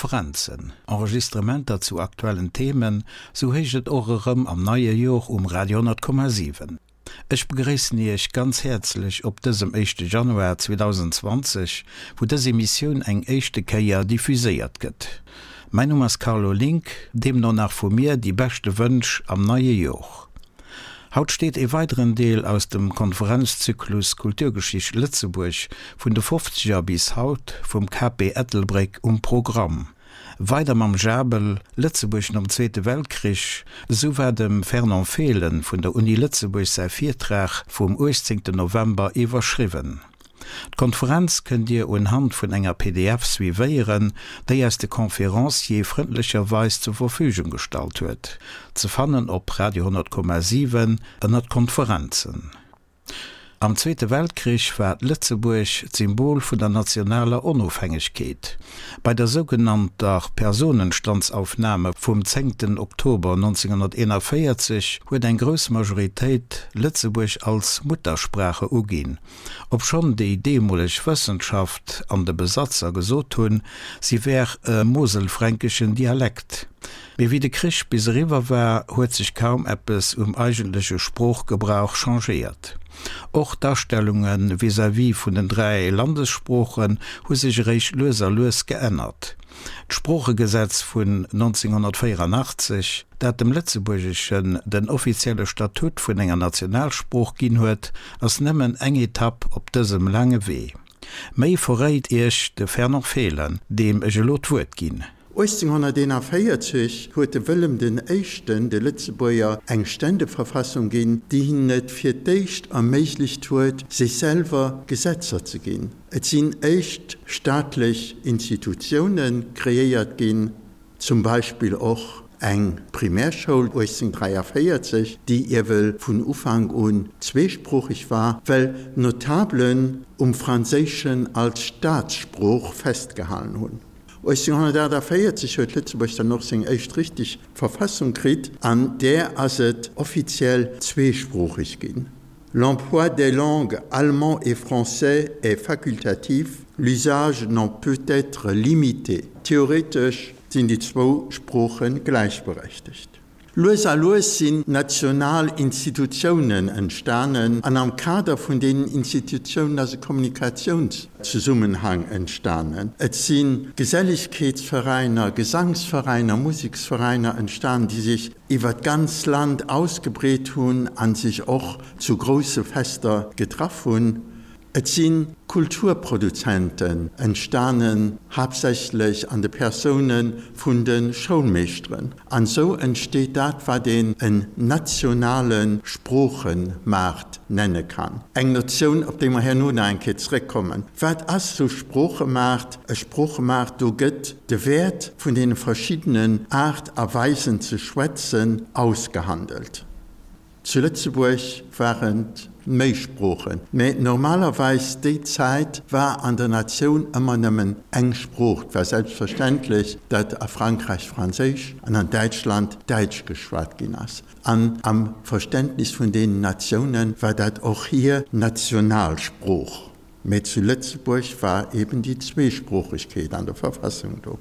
Konferenzen, Enregistrementer zu aktuellen Themen, sou héicht et och erëm am neie Jor um Radio 10,7. Ech begréissen Iech ganz häerzlech op dësem éischte Januar 2020, wou dës Emissioun eng éischte Kéier diffuséiert gëtt. Mäin Numm ass Carlo Link, deemno nach vu mir déi beschte Wënsch am neie Jor. Haut steet ee weideren Deel aus dem Konferenzzyklus Kulturgeschicht Lëtzebuerg vun de Fofzeger bis haut vum KP Ettelbréck um Programm. Weider mam Jabel, Lëtzebuerg nom Zweete Weltkrich, esou war dem Fernand Fehlen vun der Uni Lëtzebuerg säi Virtrag vum 18 November iwwerschriwwen. D'Konferenz kënnt Dir unhand vun enger pdf suivéieren, déi eis de Conférencier frëndlecherweis zur Verfügung gestallt huet. Ze fannen op Radio 10,7 ënnert Konferenzen. Am Zweete Weltkrich war Lëtzebuerg d'Symbol vun der nationaler Onofhängegkeet. Bei der sougenannter Personenstandsaufnahme vum zéngten Oktober 1941 huet eng grouss Majoritéit Lëtzebuerg als Muttersprache uginn, obschonn déi deemoleg Wëssenschaft an de Besatzer gesot hunn, si wär e moselfränkeschen Dialekt. Mee wéi de Krich bis eriwwer war, huet sech kaum eppes um eigentleche Sproochgebrauch changéiert. Och d'Astellunge vis-à-vis vun den 3 Landessproochen hu sech eréischt lues a lues geännert. D'Sproochegesetz vun 1984, dat dem Lëtzebuergeschen den offizielle Statut vun enger Nationalsprooch ginn huet, ass nëmmen eng Etapp op dësem laange Wee. Méi verréit Iech de Fernand Fehlen, deem ech elo d'Wuert ginn. 1841 huet de Wëllem den Éischten de Lëtzebuerger eng Ständeverfassung ginn, déi hinnen et fir d'éischt erméiglecht huet, sech selwer Gesetzer ze ginn. Et sinn éischt staatlech Institutioune kreéiert ginn, zum Beispill och eng Primärschoul 1843, déi iewel vun Ufank un zweesproocheg war, well d'Notablen um Franséischen als Staatssprooch festgehalen hunn. 1848 huet Lëtzebuerg dann och seng éischt richteg Verfassung kritt, an där ass et offiziell zweesproocheg ginn. L'emploi des langues allemand et français est facultatif, l'usage n'en peut être limité. Theoretesch sinn déi zwou Sprooche gläichberechtegt. Lues a lues sinn national Institutiounen entstanen an am Kader vun deenen Institutiounen ass e Kommunikatiounszesummenhang entstanen. Et si Geselligkeetsveräiner, Gesangsveräiner, Museksveräiner entstanen, déi sech iwwer d'ganz Land ausgebreet hunn a sech och zu grousse Fester getraff hunn. Et si Kulturproduzenten entstanen, haaptsächlech an de Persoune vun de Schoulmeeschteren. An esou entsteet dat, wat een en nationale Sproochemaart nenne kann. Eng Notioun, op déi mer herno nach eng Kéier zrëckkommen. Wat ass esou Sproochemaart? E Sproochemaart, do gëtt de Wäert vun deene verschiddenen Aart a Weisen ze schwätzen ausgehandelt. Zu Lëtzebuerg waren et méi Sproochen, mä normalerweis déi Zäit war an der Natioun ëmmer nëmmen eng Sprooch. Et war selbstverständlech, datt a Frankräich Franséisch an an Däitschland Däitsch geschwat ginn ass. An am Verständnis vun deenen Natioune war dat och hir Nationalsprooch. Mä zu Lëtzebuerg war eben déi Zweesproochegkeet an der Verfassung do.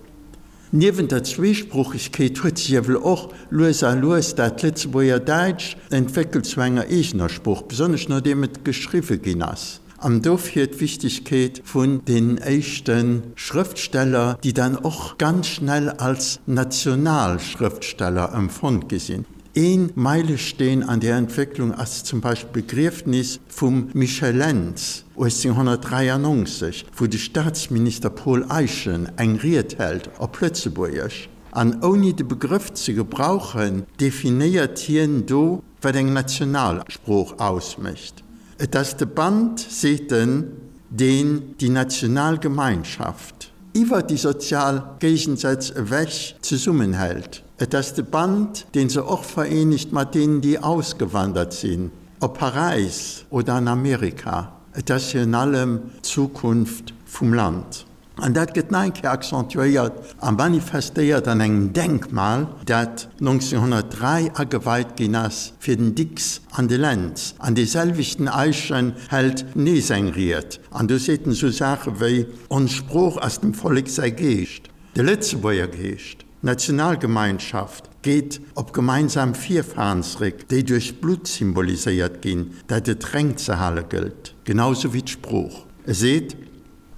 Niewent der Zweesproochegkeet huet sech ewell och lues a lues dat Lëtzebuerger Däitsch entwéckelt zu enger eegener Sprooch, besonnesch nodeem et geschriwwe ginn ass. An dofir d'Wichtegkeet vun deenen éischte Schrëftsteller, déi dann och ganz schnell als national Schrëftsteller empfonnt gi sinn. Ee Meilesteen an där Entwécklung ass zum Beispill d'Begriefnis vum Michel Lentz 1893, wou de Staatsminister Paul Eyschen eng Ried hält op Lëtzebuergesch, an ouni de Begrëff ze gebrauchen, definéiert hien do, wat eng Nationalsprooch ausmécht. Et ass de Band, seet en, deen déi national Gemeinschaft iwwer déi sozial Géigensätz ewech zesummenhält. Et ass de Band, deen se och vereenegt mat deenen, déi ausgewandert sinn, op Paräis oder an Amerika. Et ass virun allem d'Zukunft vum Land. An dat gëtt nach eng Kéier accentuéiert a manifestéiert an engem Denkmal, dat 1903 ageweit ginn ass fir den Dicks an de Lentz. An dee selwechten Eyschen hält nees eng Ried an do seet en esou Saache wéi, Ons Sprooch ass dem Vollek säi Geescht. De Lëtzebuerger Geescht, d'Nationalgemeinschaft, geet op gemeinsam Virfahren zréck, déi duerch d'Blutt symboliséiert ginn, dat et reng ze hale gëllt, genau sou wéi d'Sprooch. E seet,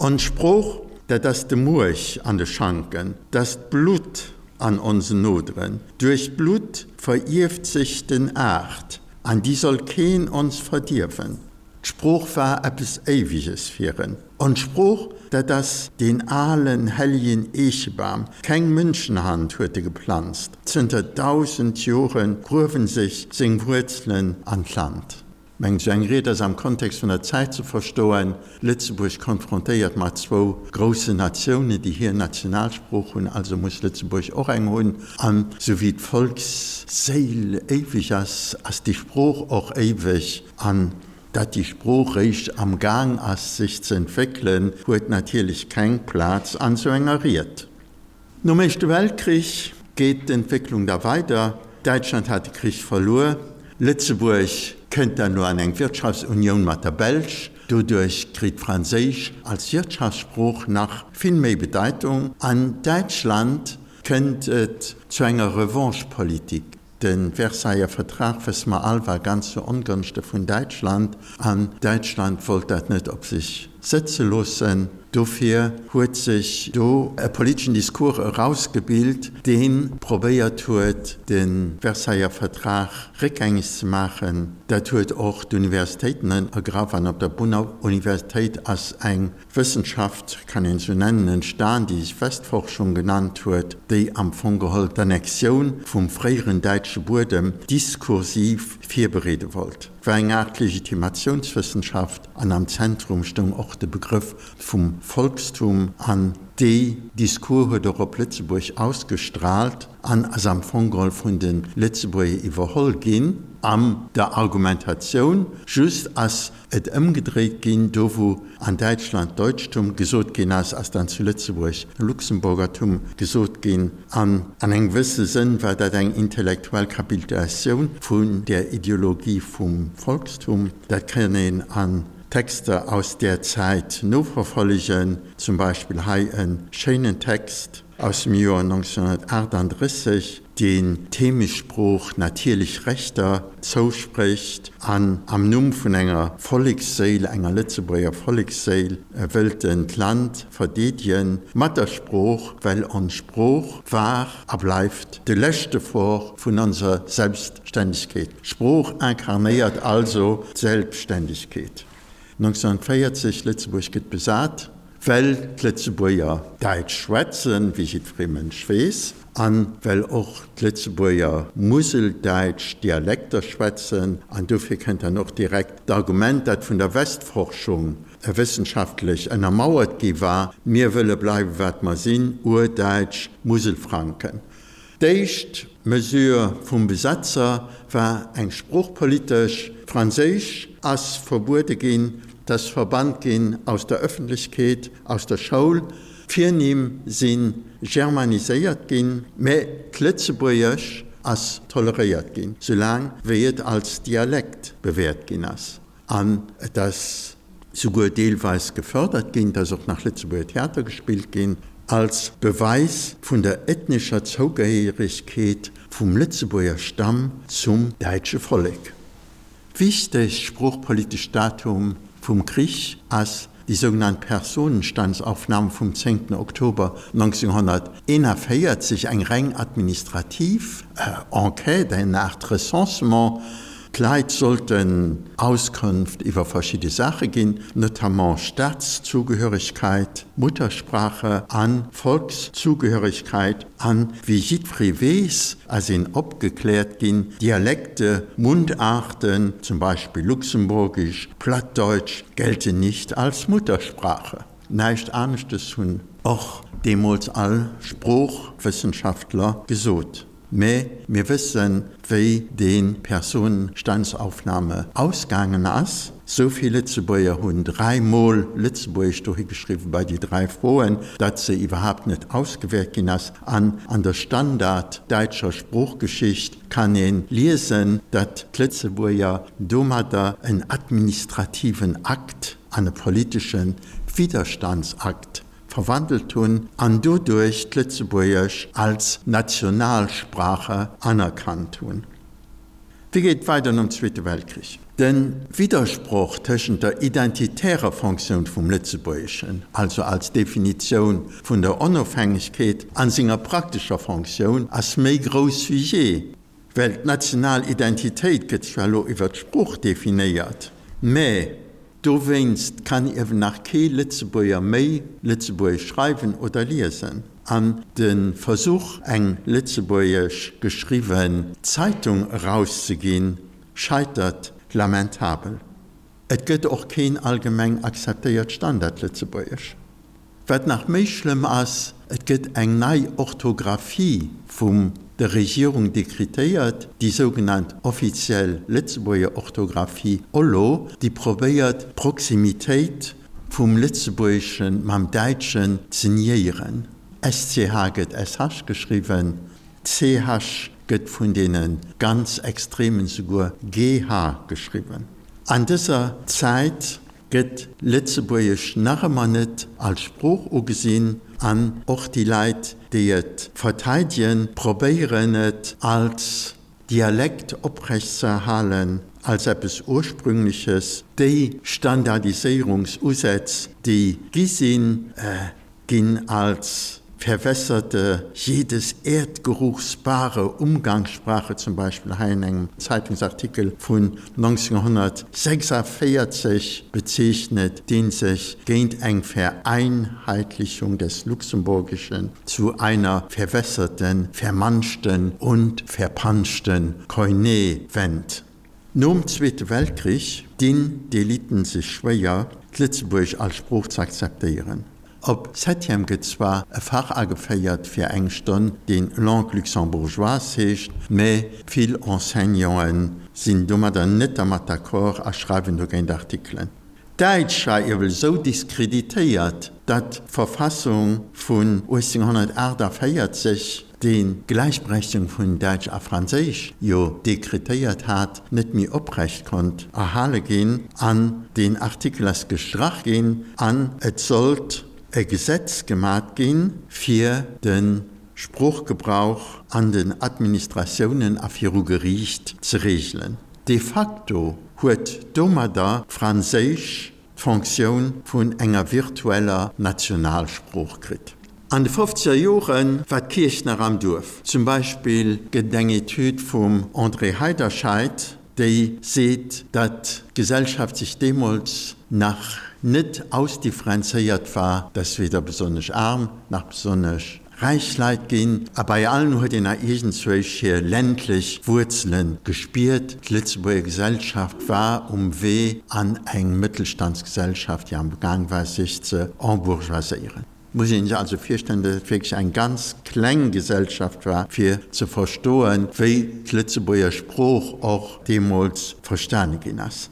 Ons Sprooch, dat ass de Muerch an de Schanken, 't ass d'Blutt an onsen Noderen. Duerch d'Blutt verierft sech den Aart, an déi soll keen ons verdierwen. D'Sprooch war eppes Éiweges fir en. Ons Sprooch, dat ass deen alen, helljen Eechebam, keng Mënschenhand huet e geplanzt, zënter 1000 Jore gruewen sech seng Wuerzelen an d'Land. Mengt, esou eng Ried ass am Kontext vun der Zäit ze verstoen, Lëtzebuerg konfrontéiert mat zwou groussen Natiounen, déi hir Nationalsprooch hunn, also muss Lëtzebuerg och eng hunn. An esou wéi d'Volksséil éiweg ass, ass déi Sprooch och éiweg. An datt déi Sprooch réischt am Gaang ass sech ze entwéckelen, huet natierlech keng Plaz an esou enger Ried. Nom Éischte Weltkrich geet d'Entwécklung da weider, Däitschland hat de Krich verluer, Lëtzebuerg kënnt dann elo an eng Wirtschaftsunioun mat der Belsch, doduerch kritt Franséisch als Wirtschaftssprooch nach vill méi Bedeitung. An Däitschland kënnt et zu enger Revanchepolitik. De Versailler Vertrag, wësse mer all, war ganz zu Ongonschte vun Däitschland an Däitschland wollt dat net op sech sëtze loossen. Dofir huet sech do e politeschen Discours erausgebilt, dee probéiert huet, de Versailler Vertrag réckgängeg ze maachen. Dat huet och d'Universitéiten ergraff an op der Bonner Universitéit ass eng Wëssenschaft, kann een esou nennen, entstan, déi sech Westforschung genannt huet, déi am Fong geholl d'Annexioun vum fréieren däitsche Buedem diskursiv virbereede wollt. Et war eng Aart Legitimatiounswëssenschaft an am Zentrum stoung och de Begrëff vum Volkstum. An dee Discours huet och op Lëtzebuerg ausgestraalt an ass am Fong geholl vun de Lëtzebuerger iwwerholl ginn an der Argumentatioun. Just ass et ëmgedréit ginn, do wou an Däitschland Deutschtum gesot ginn ass, ass dann zu Lëtzebuerg Luxemburgertum gesot ginn. An an engem gewësse Sënn war dat eng intellektuell Kapitulatioun vun där Ideologie vum Volkstum. Dat kann een an Texter aus där Zäit noverfollegen, zum Beispill hei e schéinen Text aus dem Joer 1938. deen d'Heemechtssprooch natierlech Rechter zousprécht an am Numm vun enger Volleksséil, enger Lëtzebuerger Volleksséil, wëllt en d'Land verdeedegen mat der Sprooch, well ons Sprooch war a bleift de leschte Fort vun onser Selbstständegkeet. D'Sprooch inkarnéiert also d'Selbstständegkeet. 1940, Lëtzebuerg gëtt besat. Well d'Lëtzebuerger Däitsch schwätzen, wéi jiddweree Mënsch weess, a well och d'Lëtzebuerger Museldäitsch Dialekter schwätzen, an dofir kënnt dann och direkt d'Argument, dat vun der Westforschung wëssenschaftlech ënnermauert gi war, Mir wëlle bleiwe wat mer sinn, Urdäitsch Muselfranken. D'éischt Mesure vum Besetzer war eng sproochpolitesch, Franséisch ass verbuede ginn, 't ass verbannt ginn aus der Ëffentlechkeet, aus der Schoul, d'Virnimm si germaniséiert ginn, mä d'Lëtzebuergesch ass toleréiert ginn, soulaang wéi et als Dialekt bewäert ginn ass. An et ass souguer deelweis gefördert ginn, et ass och nach Lëtzebuerger Theater gespillt ginn, als Beweis vun der ethnescher Zougehéieregkeet vum Lëtzebuerger Stamm zum däitsche Vollek. Wichtegst sproochpolitescht Datum vum Krich ass déi sougenannt Personenstandsaufnahme vum 10. Oktober 1941, eng reng administrativ Enquête, eng Aart Recensement. D'Leit sollten Auskonft iwwer verschidde Saache ginn, notamment Staatszugehörigkeit, Muttersprache a Volkszugehörigkeit. An wéi jiddweree weess, ass een opgekläert ginn, Dialekte, Mundarten, zum Beispill Luxemburgisch, Plattdeutsch, gelten nicht als Muttersprache. Näischt aneschtes hunn och deemools all Sproochwëssenschaftler gesot. Mä mir wëssen, wéi dee Personenstandsaufnahme ausgaangen ass. Sou vill Lëtzebuerger hunn dräimol Lëtzebuergesch dohi geschriwwen bei déi dräi Froen, datt se iwwerhaapt net ausgewäert ginn ass. An an der standarddäitscher Sproochgeschicht kann ee liesen, datt d'Lëtzebuerger domadder en administrativen Akt an e politesche Widerstandsakt. verwandelt hunn an doduerch d'Lëtzebuergesch als Nationalsprache anerkannt hunn. Wéi geet et weider nom Zweete Weltkrich? De Widdersproch tëschent der identitärer Fonctioun vum Lëtzebuergeschen, also als Definitioun vun der Onofhängegkeet, an senger praktescher Fonctioun ass méi grouss wéi jee, well d'national Identitéit gëtt zwar elo iwwer d'Sprooch definéiert, mä Dowéinst kann iewen nach kee Lëtzebuerger méi Lëtzebuergesch schreiwen oder liesen, an de Versuch eng lëtzebuergesch geschriwwen Zeitung erauszeginn, scheitert lamentabel. Et gëtt och keen allgemeng akzeptéiert Standardlëtzebuergesch. Wat nach méi schlëmm ass, et gëtt eng nei Orthographie vum der Regierung dekretéiert, déi sougenannt offiziell Lëtzebuerger Orthographie, OLO, déi probéiert d'Proximitéit vum Lëtzebuergesche mam Däitschen ze niéieren. SCH gëtt SH geschriwwen, CH gëtt vun deene ganz Extremen souguer GH geschriwwen. An dëser Zäit gëtt Lëtzebuergesch nach ëmmer net als Sprooch ugesinn an och déi Leit, déi et verteidegen, probéieren et als Dialekt oprechtzeerhalen, als eppes Ursprüngleches. Déi Standardiséierungsusätz, déi gi sinn, ginn als verwässerte, jedes Erdgeruchs bare Umgangssprache, zum Beispill hei in engem Zeitungsartikel vun 1946 bezeechnet, dee sech géint eng Vereinheitlichung des Luxemburgischen zu einer verwässerten, vermanschten und verpanschten Koiné wennt. Nom Zweete Weltkrich dinn d'Eliten sech schwéier, d'Lëtzebuergesch als Sprooch ze akzeptéieren. Op Septième gëtt zwar e Fach ageféiert fir eng Stonn, deen Langue luxembourgeoise heescht, mä vill Enseignanten sinn domadder net dermat d'accord a schreiwen dogéint Artikelen. D'Däitsch war iewel esou diskreditéiert, datt d'Verfassung vun 1848, déi d'Gläichberechtigung vun Däitsch a Franséisch jo dekretéiert hat, net méi oprecht konnt erhale ginn an deen Artikel ass gestrach ginn an et sollt e Gesetz gemat ginn, fir de Sproochgebrauch an den Administratiounen a viru Geriicht ze regelen. De facto huet domadder d'Franséisch d'Fonctioun vun enger virtueller Nationalsprooch kritt. An de fofzeger Jore war d'Kierch nach am Duerf. Zum Beispill gëtt et eng Etüd vum André Heiderscheid, déi seet, datt d'Gesellschaft sech deemools nach net ausdifferenzéiert war, datt weder besonnesch aarm nach besonnesch räich Leit ginn. A bei allen huet een nach iergendzwousch hir ländlech Wuerzele gespiert. D'Lëtzebuerger Gesellschaft war um Wee an eng Mëttelstandsgesellschaft, déi am Gaang war, sech ze embourgeoiséieren. Et muss ee sech also virstellen, datt et wierklech eng ganz kleng Gesellschaft war, fir ze verstoen, wéi d'Lëtzebuerger Sprooch och deemools verstane ginn ass.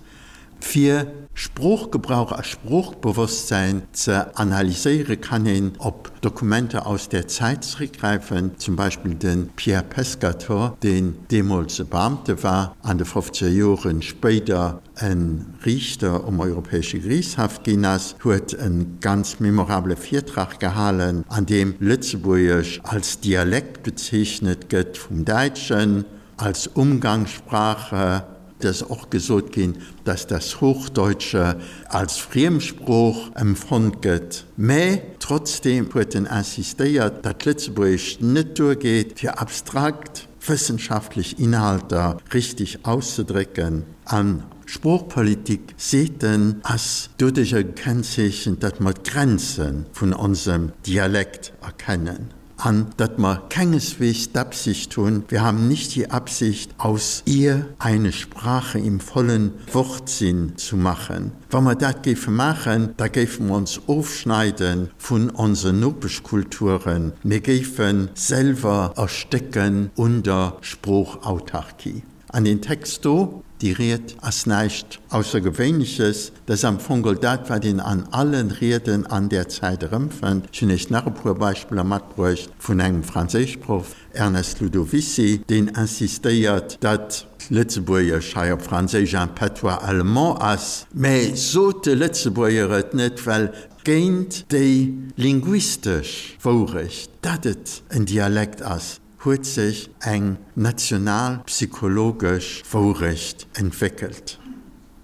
Fir Sproochgebrauch a Sproochbewosstsäin ze analyséiere kann een op Dokumenter aus där Zäit zeréckgräifen, zum Beispill de Pierre Pescatore, deen deemools e Beamte war, an de fofzeger Joren spéider e Riichter um Europäesche Geriichtshaff ginn ass, huet e ganz memorabele Virtrag gehalen, an deem Lëtzebuergesch als Dialekt bezeechnet gëtt vum Däitschen, als Umgangssprache. Et ass och gesot ginn, dass das Hochdeutsche als Friemsprooch empfonnt gëtt, mä trotzdeem huet en insistéiert, datt d'Lëtzebuergescht net duergeet, fir abstrakt wëssenschaftlech Inhalter richtig auszedrécken. A Sproochpolitik, seet en, ass doduercher gekennzeechent, datt mer d'Grenze vun onsem Dialekt erkennen. An datt mer kengeswegs d'Absicht hunn, wir haben nicht die Absicht, aus ihr eine Sprache im vollen Wortsinn zu machen. Wa mer dat géife maachen, da géife mer ons ofschneide vun onsen Nopeschkulturen, mir géife selwer erstécken un der Sproochautarkie. An deen Text do, déi Ried, ass näischt Aussergewéinleches. Dat ass am Fong geholl dat, wat een an alle Rieden an där Zäit erëmfënnt. Ech hunn Iech nach e puer Beispiller matbruecht vun engem Franséischproff, Ernest Ludovicy, deen insistéiert, datt Lëtzebuergesch hei op Franséisch un patois allemand ass. Mä sot de Lëtzebuerger et net, well. Géint déi linguistesch Wourecht, datt et en Dialekt ass, huet sech eng national-psychologesch Wourecht entwéckelt.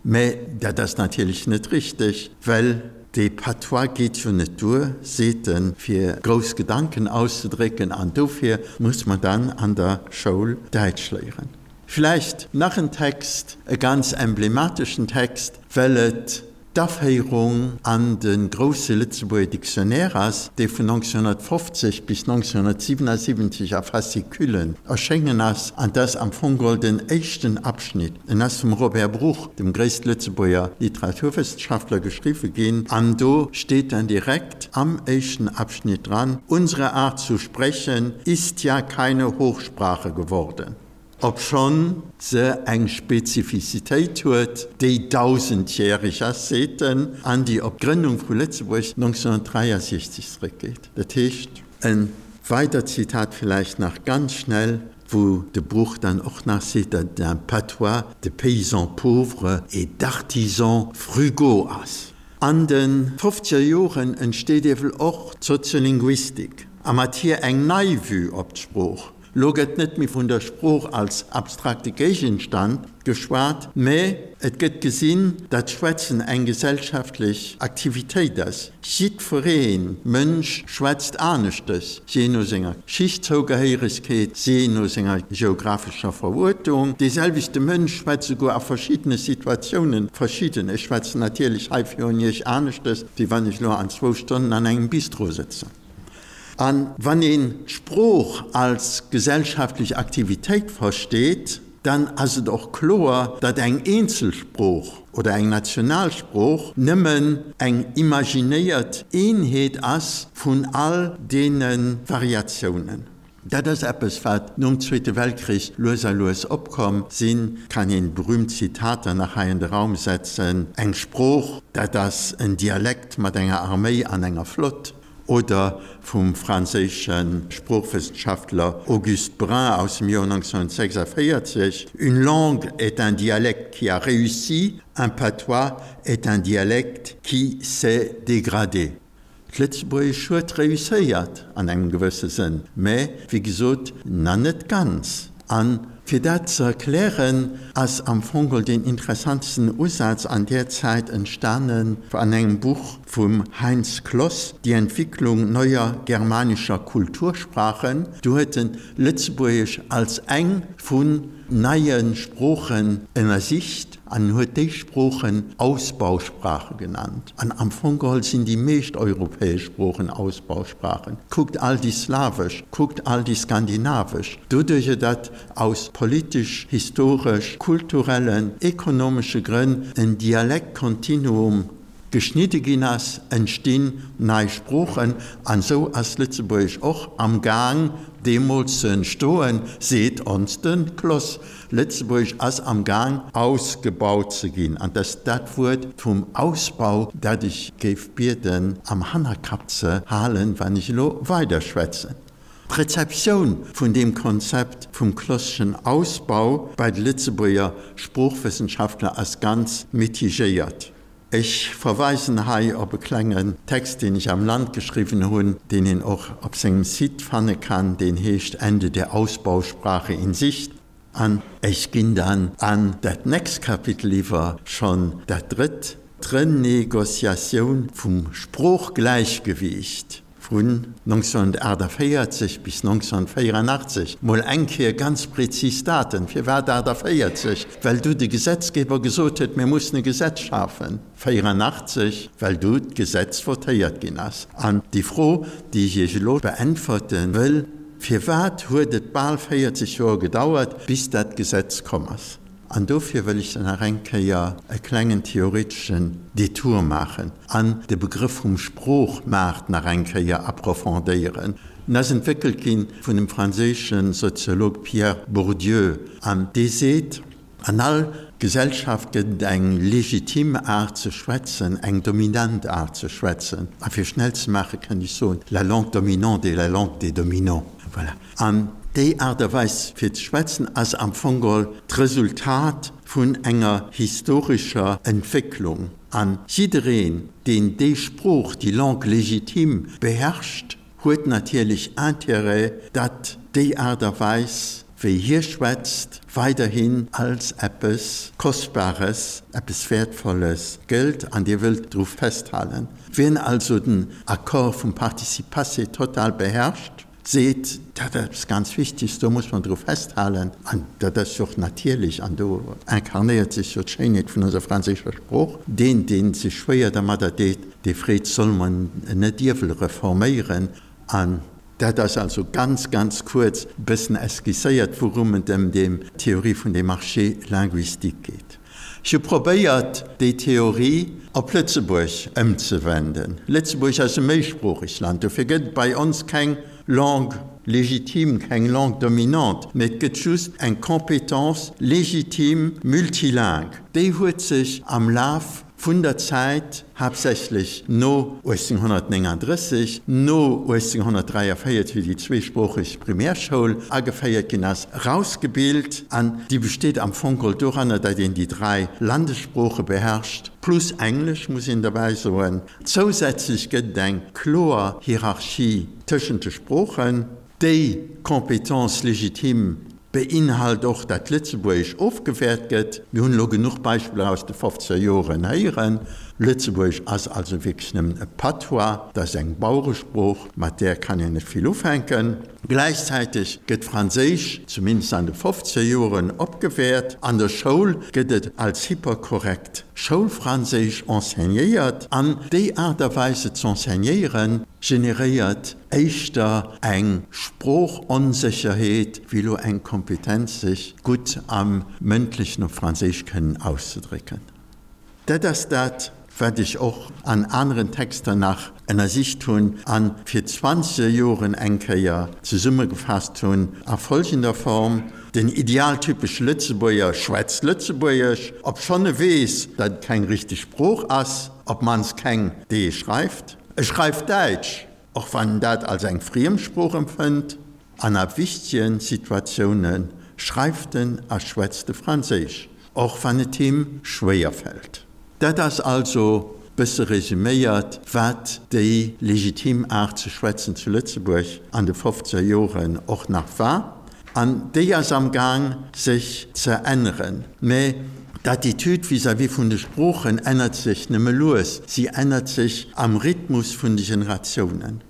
Mä dat ass natierlech net richteg, well dee Patois geet jo net duer, seet en, fir grouss Gedanken auszedrécken, an dofir muss mer dann an der Schoul Däitsch léieren. Vläicht nach en Text, e ganz emblemateschen Text, well et d'Aféierung an de grousse Lëtzebuerger Dictionnaire ass, dee vun 1950 bis 1977 a Fasciculen erschéngen ass, an 't ass am Fong geholl den éischten Abschnitt. En ass vum Robert Bruch, dem gréisste Lëtzebuerger Literaturwëssenschaftler, geschriwwe ginn, an do steet dann direkt am éischten Abschnitt dran, Unsere Art zu sprechen ist ja keine Hochsprache geworden. Obschonn se eng Spezifizitéit huet, déi dausendjäreg ass, seet en, an déi op d'Grënnung vu Lëtzebuerg 1963 zeréckgeet. Dat heescht, e weidert Zitat villäicht nach ganz schnell, wou de Bruch dann och nach seet, datt et un patois de paysans pauvres et d'artisans frugaux ass. An de fofzeger Joren entsteet ewell och d'Soziolinguistik, a mat hir eng nei Vue op d'Sprooch. Lo gëtt net méi vun der Sprooch als abstrakte Géigenstand geschwat, mä et gëtt gesinn, datt Schwätzen eng gesellschaftlech Aktivitéit ass. Jiddweree Mënsch schwätzt aneschtes, jee no senger Schichtzougehéieregkeet, jee no senger geographescher Veruertung. Dee selwechte Mënsch schwätzt souguer a verschiddene Situatiounen verschidden. Ech schwätzen natierlech hei virun Iech aneschtes, wéi wann ech lo an zwou Stonnen an engem Bistro sëtzen. A wann een d'Sprooch als gesellschaftlech Aktivitéit versteet, dann ass et och kloer, datt eng eenzel Sprooch oder eng national Sprooch nëmmen eng imaginéiert Eenheet ass vun all deene Variatiounen. Dat ass eppes, wat nom Zweete Weltkrich lues a lues opkomm sinn. Kann een berühmt Zitater nach hei an de Raum setzen, Eng Sprooch, dat ass en Dialekt mat enger Arméi an enger Flott. Oder vum franséische Sproochwëssenschaftler Auguste Brun aus dem Joer 1946, Une langue est un dialecte qui a réussi, un patois est un dialecte qui s'est dégradé. D'Lëtzebuergesch huet réusséiert an engem gewësse Sënn, mä wéi gesot na net ganz. A fir dat ze erklären, ass am Fong geholl deen interessantesten Usaz an där Zäit entstanen an engem Buch vum Heinz Kloss, Die Entwicklung neuer germanischer Kultursprachen. Do huet en Lëtzebuergesch als eng vun neie Sproochen ënnersicht an huet déi Sproochen Ausbausprache genannt. An am Fong geholl sinn déi meescht europäesch Sproochen Ausbausprachen. Kuckt all déi slawesch, kuckt all déi skandinavesch. Doduercher datt aus politesch, historesch, kulturellen, ekonomesche Grënn en Dialektkontinuum geschnidde ginn ass, entstinn nei Sproochen. An esou ass Lëtzebuergesch och am Gaang deemools ze entstoen, seet ons de Kloss. Lëtzebuergesch ass am Gaang ausgebaut ze ginn. An dass dat Wuert vum Ausbau, dat ech géif bieden am Hannerkapp ze halen, wann ech elo weiderschwätzen. D'Rezeptioun vun deem Konzept vum Klosschen Ausbau bei de Lëtzebuerger Sproochwëssenschaftler ass ganz mitigéiert. Ech verweisen hei op e klengen Text, deen ech am Land geschriwwen hunn, deen een och op sengem Site fanne kann, deen heescht Ende der Ausbausprache in Sicht. An ech ginn dann an dat nächst Kapitel iwwer, schonn dat drëtt, d'Renegociatioun vum Sproochgläichgewiicht. Vun 1948 bis 1984, mol eng Kéier ganz prezis Daten. Firwat 48? Well du de Gesetzgeber gesot huet, mir mussen e Gesetz schafen. 84, well du d'Gesetz votéiert ginn ass. An déi Fro, déi ech Iech elo beäntwerte wëll, Firwat huet et bal 40 Joer gedauert, bis dat Gesetz komm ass? An dofir wëll ech dann nach eng Kéier e klengen theoreteschen Detour maachen an de Begrëff vum Sproochmaart nach eng Kéier approfondéieren. En ass entwéckelt gi vun dem franséische Soziolog Pierre Bourdieu an dee seet, An all Gesellschaft gëtt et eng legitim Aart ze schwätzen, eng dominant Aart ze schwätzen. A fir schnell ze maache kënnt ech soen, la langue dominante est la langue des dominants. Voilà. An déi Aart a Weis fir ze schwätzen ass am Fong geholl d'Resultat vun enger historescher Entwécklung. An jiddereen, deen déi Sprooch, déi Langue légitime, beherrscht, huet natierlech Intérêt, datt déi Aart a Weis, wéi hie schwätzt, weiderhin als eppes Kostbares, eppes Wäertvolles gëllt an Dir wëllt dru festhalen. Wien also den Accord vum Participe passé total beherrscht, seet, dat ass eppes ganz Wichtiges, do muss mer dru festhalen, an dat ass jo och natierlech, an do inkarnéiert sech jo d'Schéinheet vun onser franséischer Sprooch, deen, dee sech schwéier dermadder deet, dee freet, solle mer en net iewel reforméieren? An dat ass also ganz, ganz kuerz e bëssen esquisséiert, wourum et ëm deem Theorie vun dem Marché linguistique geet. Ech hu probéiert, déi Theorie op Lëtzebuerg ëmzewenden. Lëtzebuerg ass e méisproochegt Land, dofir gëtt et bei ons keng Langue légitime, keng Langue dominante, mä et gëtt just eng Compétence légitime multilingue. Déi huet sech am Laf Vun der Zäit, haaptsächlech no 1839, no 1843, wéi déi zweesproocheg Primärschoul ageféiert ginn ass, erausgebilt an déi besteet am Fong geholl doranner, datt een déi dräi Landessprooche beherrscht, plus Englesch, muss een derbäi soen. Zousätzlech gëtt et eng kloer Hierarchie tëschent de Sproochen. Déi Compétence légitime beinhalt och, dat Lëtzebuergesch ofgewäert gëtt. Mir hunn elo genuch Beispiller aus de fofzeger Joren héieren. Lëtzebuergesch ass also wierklech nëmmen e Patois, dat ass eng Baueresprooch, mat där kann een net vill ufänken. Gläichzäiteg gëtt Franséisch, zumindest an de fofzeger Joren, opgewäert. An der Schoul gëtt et als hyperkorrekt Schoulfranséisch enseignéiert. An déi Aart a Weis et z'enseignéieren, generéiert éischter eng Sproochonsécherheet wéi elo eng Kompetenz sech gutt am Mëndlechen op Franséisch kënnen auszedrécken. Dat ass dat, wat ech och an aneren Texter nach ënnersicht hunn a fir zwanzeger Joren eng Kéier zesummegefaasst hunn a folgender Form, Den idealtypesche Lëtzebuerger schwätzt Lëtzebuergesch, obschonn e weess, datt et keng richteg Sprooch ass, op d'mannst keng, déi ee schreift. E schreift Däitsch, och wann en dat als eng Friemsprooch empfënnt, an a wichtege Situatioune schreift en a schwätzt e Franséisch, och wann et him schwéier fält. Dat ass also, bësse resüméiert, wat déi legitim Aart ze schwätzen zu Lëtzebuerg an de fofzeger Joren och nach war. An déi ass am Gaang sech ze änneren. Mä d'Attitude vis-à-vis vun de Sproochen ännert sech nëmme lues, si ännert sech am Rhythmus vun de Generatiounen.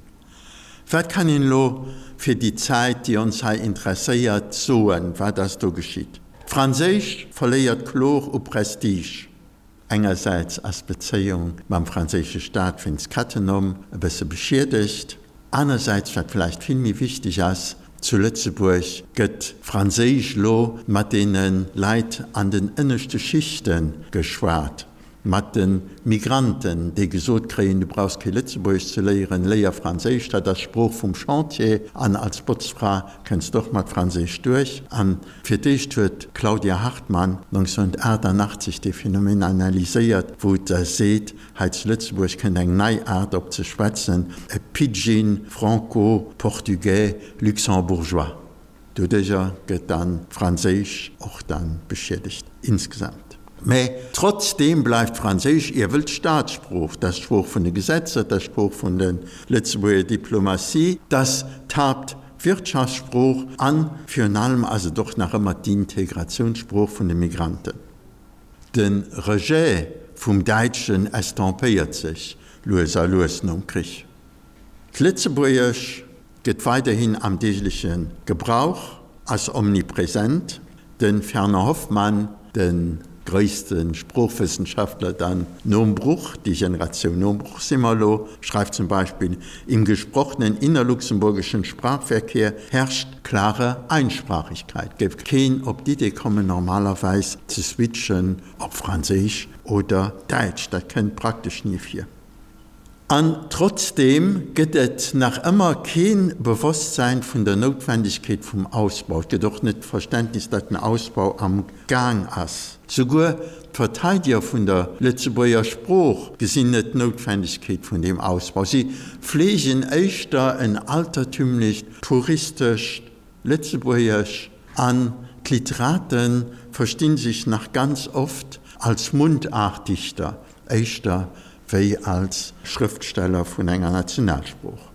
Wat kann een elo fir déi Zäit, déi ons hei interesséiert, soen? Wat ass do geschitt? D'Franséisch verléiert kloer u Prestige. Engersäits ass d'Bezéiung mam franséische Staat wéinst Cattenom e bësse beschiedegt, anersäits, wat vläicht vill méi wichteg ass, zu Lëtzebuerg gëtt Franséisch elo mat deene Leit an den ënneschte Schichte geschwat, mat de Migranten, déi gesot kréien, du brauchs kee Lëtzebuergesch ze léieren, léier Franséisch, dat ass d'Sprooch vum Chantier an als Botzfra kënns d'och mat Franséisch duerch. An Fir d'éischt huet d'Claudia Hartmann 1988 dee Phänomen analyséiert, wou se seet, hei zu Lëtzebuerg kënnt eng nei Aart op ze schwätzen, e Pidgin franco-portugais luxembourgeois. Doduercher gëtt dann d'Franséisch och dann beschiedegt insgesamt. Mä trotzdeem bleift Franséisch iewel d'Staatssprooch, dat ass d'Sprooch vun de Gesetzer, dat ass d'Sprooch vun der Lëtzebuerger Diplomatie, dat ass d'Haupt. Wirtschaftssprooch an virun allem ass et och nach ëmmer d'Integratiounssprooch vun de Migranten. De Rejet vum Däitschen estompéiert sech lues a lues nom Krich. D'Lëtzebuergesch gëtt weiderhin am deegleche Gebrauch, ass omnipresent. De Fernand Hoffmann, de gréisste Sproochwëssenschaftler dann nom Bruch, déi Generatioun nom Bruch si mer elo, schreift zum Beispill, Im gesprochenen innerluxemburgischen Sprachverkehr herrscht klare Einsprachigkeit. Géif keen op d'Idee kommen, normalerweis ze switchen op Franséisch oder Däitsch. Dat kënnt praktesch ni vir. An trotzdeem gëtt et nach ëmmer kee Bewosstsäin vun der Noutwendegkeet vum Ausbau. Et gëtt och net d'Verständnis, datt den Ausbau am Gaang ass. Souguer d'Verteideger vun der Lëtzebuerger Sprooch gesinn net d'Noutwendegkeet vun deem Ausbau. Si fleegen éischter en altertümlecht, puristescht Lëtzebuergesch. An d'Literate versti sech nach ganz oft als Mundartdichter. Éischter wéi als Schrëftsteller vun enger Nationalsprooch.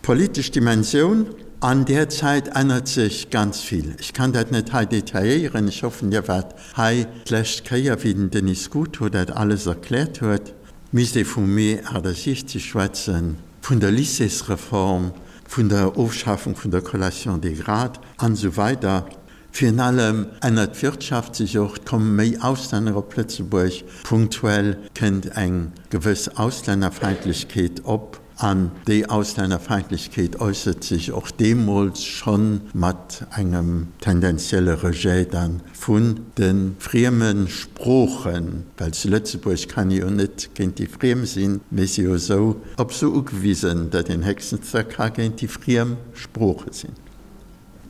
D'politesch Dimensioun an där Zäit ännert sech ganz vill. Ech kann dat net hei detailléieren. Ech hoffen, Dir waart hei d'lescht Kéier, wéi den Denis Scuto dat alles erkläert huet. Misst ee vum Mee 68 schwätzen, vun der Lycéesreform, vun der Ofschafung vun der Collation des grades an esou weider. Virun allem ännert d'Wirtschaft sech och, et komme méi Auslänner op Lëtzebuerg, punktuell kënnt eng gewëss Auslännerfeindlechkeet op an déi Auslännerfeindlechkeet äussert sech och deemools scho mat engem tendenzielle Rejet dann vun de frieme Sproochen, well zu Lëtzebuerg kann ee jo net géint déi Friem sinn, mee si jo esou op se ugewisen, datt een héchstens da ka géint déi friem Sprooche sinn.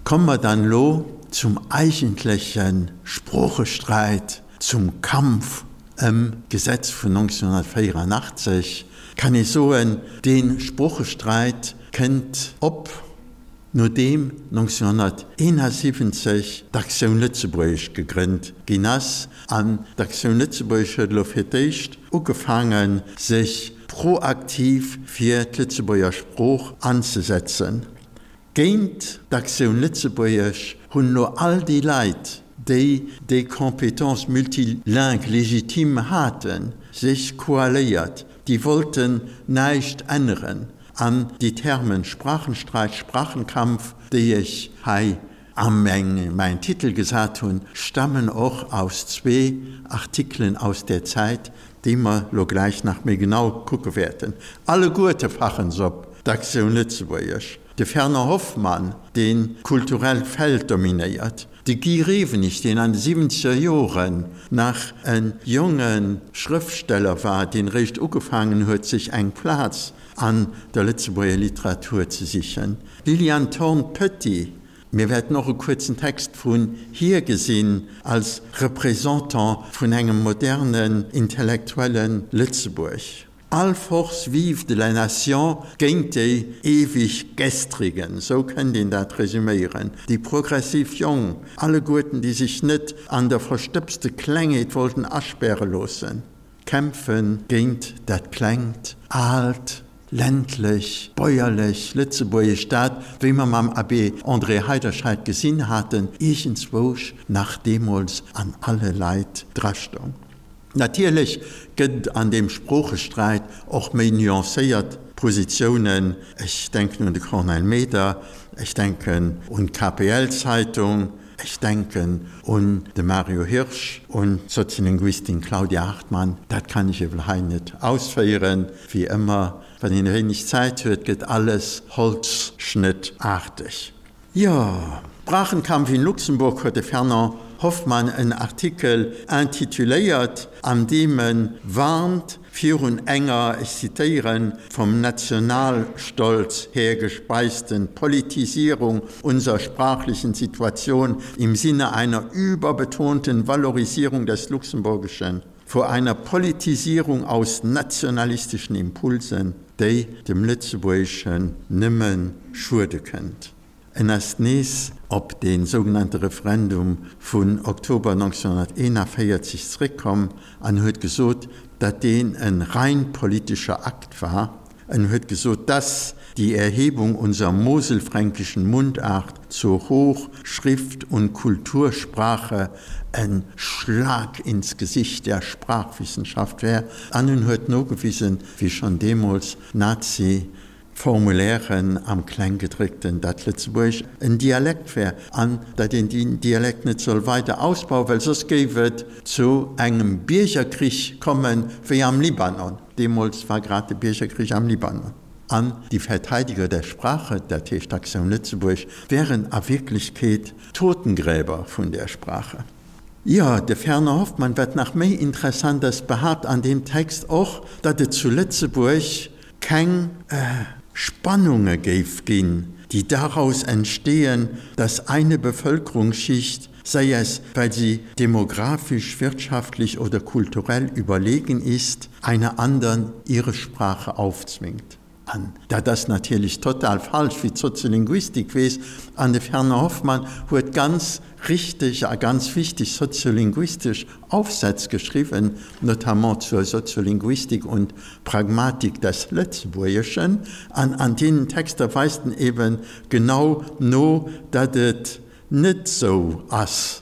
Komme mer dann elo zum eigentleche Sproochesträit, zum Kampf ëm d'Gesetz vun 1984. Kann ee soen, dee Sproochesträit kënnt op, nodeem 1971 d'Actioun Lëtzebuergesch gegrënnt ginn ass. An d'Actioun Lëtzebuergesch huet elo fir d'éischt ugefaangen, sech proaktiv fir d'Lëtzebuerger Sprooch anzesetzen. Géint d'Actioun Lëtzebuergesch hunn elo all déi Leit, déi déi Compétence multilingue légitime haten, sech koaléiert. Déi wollten näischt änneren. An déi Termen Sprachenstreit, Sprachenkampf, déi ech hei a mäin Titel gesat hunn, stammen och aus zwee Artikelen aus där Zäit, déi mer lo gläich nach méi genau kucke wäerten. Alleguerte fachen se op d'Actioun Lëtzebuergesch. De Fernand Hoffmann, deen d'kulturellt Feld dominéiert, de Guy Rewenig, deen an de siwwenzeger Joren nach e jonge Schrëftsteller war, deen eréischt ugefaangen huet, sech eng Plaz an der Lëtzebuerger Literatur ze sichen, d'Liliane Thorn-Petit, Mir wäerten och e kuerzen Text vun hir gesinn als Représentant vun engem modernen intellektuelle Lëtzebuerg. All Force vive de la nation géint déi ewig Gestrigen, esou kënnt een dat resüméieren, déi progressiv Jong, alleguerten déi sech net an der verstëbste Klengheet wollten aspäre loossen. Kämpfe géint dat klengt, aalt, ländlech, bäuerlech Lëtzebuergesch, dat, wéi mer mam Abbé André Heiderscheid gesinn haten, iergendzwousch nach deemools an alle Leit drastoung. Natierlech gëtt et an deem Sproochesträit och méi nuancéiert Positiounen, ech denken un de Cornel Meder, ech denken un d'KPL-Zeitung, Ech denken un de Mario Hirsch, un d'Soziolinguistin Claudia Hartmann. Dat kann ech ewell hei net ausféieren. Wéi ëmmer, wann een e wéineg Zäit huet, gëtt alles holzschnëttarteg. Jo, Sprachenkampf in Luxemburg huet de Fernand Hoffmann en Artikel intituléiert, an deem e warnt virun enger, ech zitéieren, vom Nationalstolz her gespeisten Politisierung unserer sprachlichen Situation im Sinne einer überbetonten Valorisierung des Luxemburgischen, vor einer Politisierung aus nationalistischen Impulsen, déi dem Lëtzebuergeschen nëmme schuede kënnt. En ass nees op dee sougenannte Referendum vun Oktober 1941 zeréckkomm an huet gesot, datt deen e rein politescher Akt war. En huet gesot, dass die Erhebung unserer moselfränkischen Mundart zur Hoch-, Schrift und Kultursprache en Schlag ins Gesicht der Sprachwissenschaft wär. An en huet nogewisen, wéi schonn deemools Nazi Formulairen am Klenggedréckten, dat Lëtzebuergesch en Dialekt wär an dat een deen Dialekt net soll weider ausbauen, well soss géif et zu engem Biergerkrich kommen, wéi am Libanon. Deemools war grad de Biergerkrich am Libanon. An die Verteidiger der Sprache, dat heescht d'Aktioun Lëtzebuerg, wären a Wierklechkeet d'Totengräber vun där Sprache. Jo, de Fernand Hoffmann, wat nach méi interessant ass, behaapt an deem Text och, datt et zu Lëtzebuerg keng Spannunge géif ginn, déi daraus entstehen, dass eine Bevölkerungsschicht, sei es, weil sie demografisch, wirtschaftlich oder kulturell überlegen ist, einer andern ihre Sprache aufzwingt. An dat ass natierlech total falsch, wéi d'Soziolinguistik weess. An de Fernand Hoffmann huet ganz richteg a ganz wichteg soziolinguistesch Aufsätz geschriwwen, notamment zur Soziolinguistik und Pragmatik des Lëtzebuergeschen. An an deenen Texter weist en eben genau no, datt et net sou ass.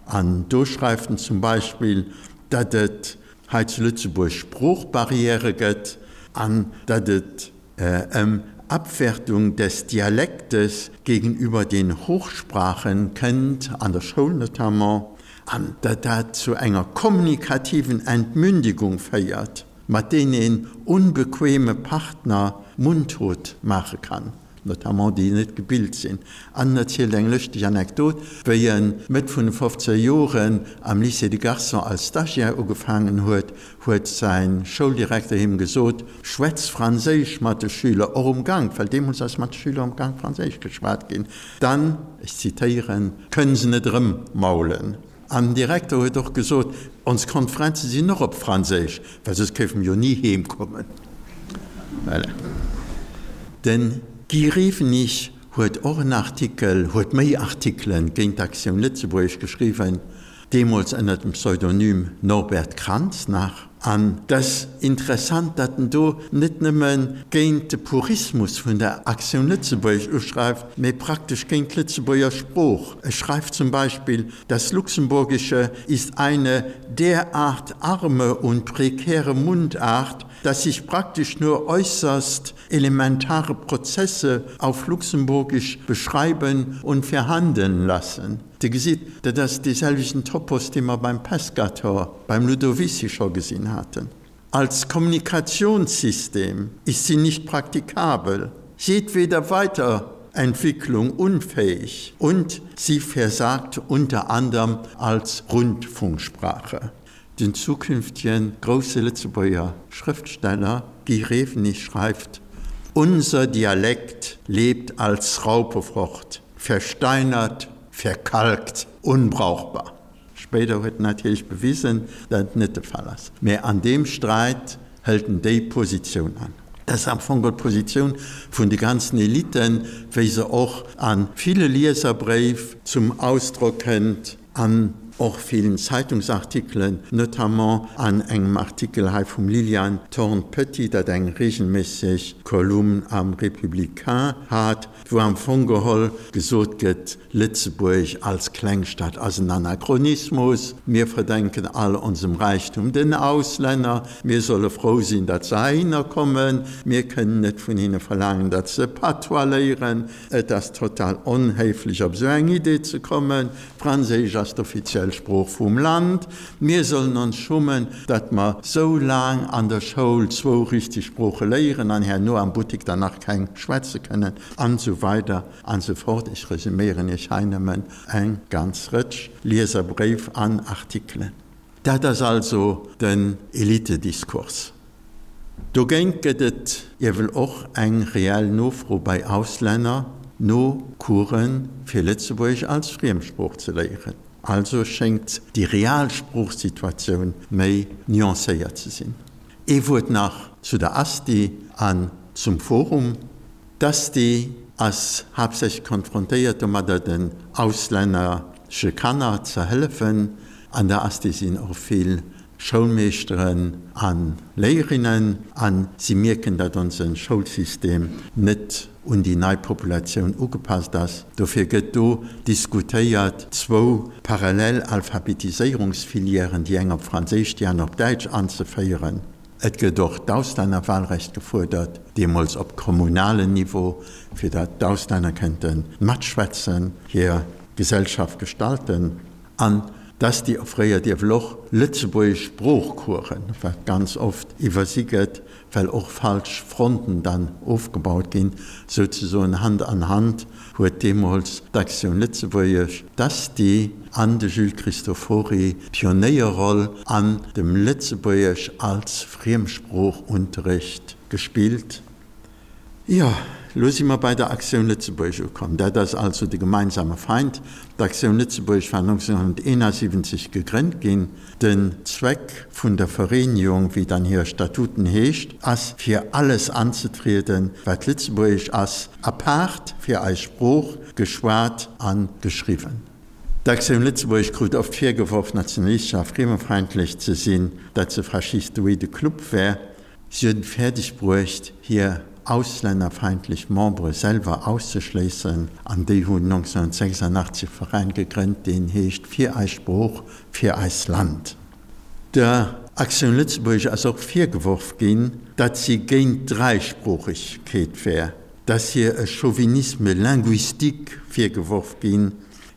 An do schreift en zum Beispill, datt et hei zu Lëtzebuerg Sproochbarrièrë gëtt an datt et ëm Abwertung des Dialektes gegenüber den Hochsprachen kënnt, an der Schoul notamment, an datt dat zu enger kommunikativen Entmündigung féiert, mat deenen een unbequeme Partner mundtot maache kann. notamment déi net gebilt sinn. An en erzielt eng lëschteg Anekdot, wéi en Mëtt vun de fofzeger Joren am Lycée de Garçons als Stagiaire ugefaangen huet, huet säi Schouldirekter him gesot, Schwätz Franséisch mat de Schüler, och um Gank, well deemools ass mat de Schüler um Gank Franséisch geschwat ginn, dann, ech zitéieren, kënnen se net erëmmaulen. An den Direkter huet och gesot, Ons Konferenze sinn och op Franséisch, well soss kéife mer jo ni heem kommen. Voilà. Den Guy Rewenig huet och en Artikel, huet méi Artikelen géint d'Actioun Lëtzebuergesch geschriwwen, deemools ënner dem Pseudonym Norbert Kranz nach. An 't ass interessant, datt en do net nëmme géint de Purismus vun der Actioun Lëtzebuergesch uschreift, mee praktesch géint d'Lëtzebuerger Sprooch. E schreift zum Beispill, Das Luxemburgische ist eine derart arme und prekäre Mundart, dass sich praktisch nur äusserst elementare Prozesse auf Luxemburgisch beschreiben und verhandeln lassen. Dir gesitt, dat ass dee selwechten Topos, dee mer beim Pescator, beim Ludovici scho gesinn haten. Als Kommunikationssystem ist sie nicht praktikabel, jedweder Weiterentwicklung unfähig und sie versagt unter anderem als Rundfunksprache. Den zukünftigen grousse Lëtzebuerger Schrëftsteller Guy Rewenig schreift, Unser Dialekt lebt als Raupe fort, versteinert, verkalkt, unbrauchbar. Spéider huet en natierlech bewisen, datt et net de Fall ass. Mä an deem Sträit hëlt en déi Positioun an. Dat ass am Fong geholl d'Positioun vun de ganzen Eliten, wéi se och a ville Lieserbréif zum Ausdrock kënnt, an och villen Zeitungsartikelen, notamment an engem Artikel hei vum Liliane Thorn-Petit, dat eng regelméisseg Kolumn am Républicain hat, wou am Fong geholl gesot gëtt, Lëtzebuerg als Klengstad ass en Anachronismus, mir verdenken all onsem Räichtum den Auslänner, mir solle frou sinn, datt se heihinner kommen, mir kënnen net vun hinne verlaangen, datt se Patois léieren, et ass total onhéiflech op esou eng Idee ze kommen, Franséisch ass d'offiziell Sprooch vum Land, mir sollen ons schummen, datt mer sou laang an der Schoul zwou richteg Sprooche léieren an herno am Buttek dann nach keng schwätze kënnen, an esou weider an esou fort. Ech resuméieren Iech hei nëmmen eng ganz Rëtsch Lieserbréif an Artikelen. Dat ass also den Elitediskurs. Dogéint gëtt et iewel och eng reell Nofro bei Auslänner no Coursen fir Lëtzebuergesch als Friemsprooch ze léieren. Also schéngt déi real Sproochsituatioun méi nuancéiert ze sinn. Ee Wuert nach zu der Asti an zum Forum. D'Asti ass haaptsächlech konfrontéiert domadder den auslännersche Kanner ze hëllefen. An der Asti sinn och vill Schoulmeeschteren a Léierinnen a si mierken, datt onse Schoulsystem net un déi nei Populatioun ugepasst ass. Dofir gëtt do diskutéiert, zwou parallel Alphabetiséierungsfilièren, déi eng op Franséisch, déi aner op Däitsch, anzeféieren. Et gëtt och d'Auslännerwahlrecht gefuerdert, deemools op kommunalen Niveau, fir datt d'Auslänner kënnte matschwätzen, hir Gesellschaft gestalten. An d'Asti offréiert iewel och lëtzebuergesch Sproochcoursen, wat ganz oft iwwersi gëtt, well och falsch Fronten dann ofgebaut ginn. Souzesoen Hand an Hand huet deemools d'Actioun Lëtzebuergesch, d'Asti an de Jules Cristofori d'Pionéierroll an dem Lëtzebuergesch als Friemsproochunterricht gespillt. Jo, Lo si mer bei der Actioun Lëtzebuerg ukomm. Dat ass also de gemeinsame Feind. D'Actioun Lëtzebuerg war 1971 gegrënnt ginn. Den Zweck vun der Vereenigung, wéi et an hire Statuten heescht, ass fir alles anzetrieden, wat lëtzebuergesch ass, apaart fir eis Sprooch, geschwat a geschriwwen. D'Actioun Lëtzebuerg krut oft virgeworf, nationalistesch a friemefeindlech ze sinn, dat se faschistoide Club wär. Si huet et fäerdeg bruecht, hir auslännerfeindlech Membere selwer auszeschléissen, an déi hunn 1986 e Veräin gegrënnt, deen heescht Fir eis Sprooch, fir eist Land. Der Actioun Lëtzebuerg ass och virgeworf ginn, datt si géint d'Dräisproochegkeet wär, datt hir e Chauvinisme linguistique virgeworf ginn,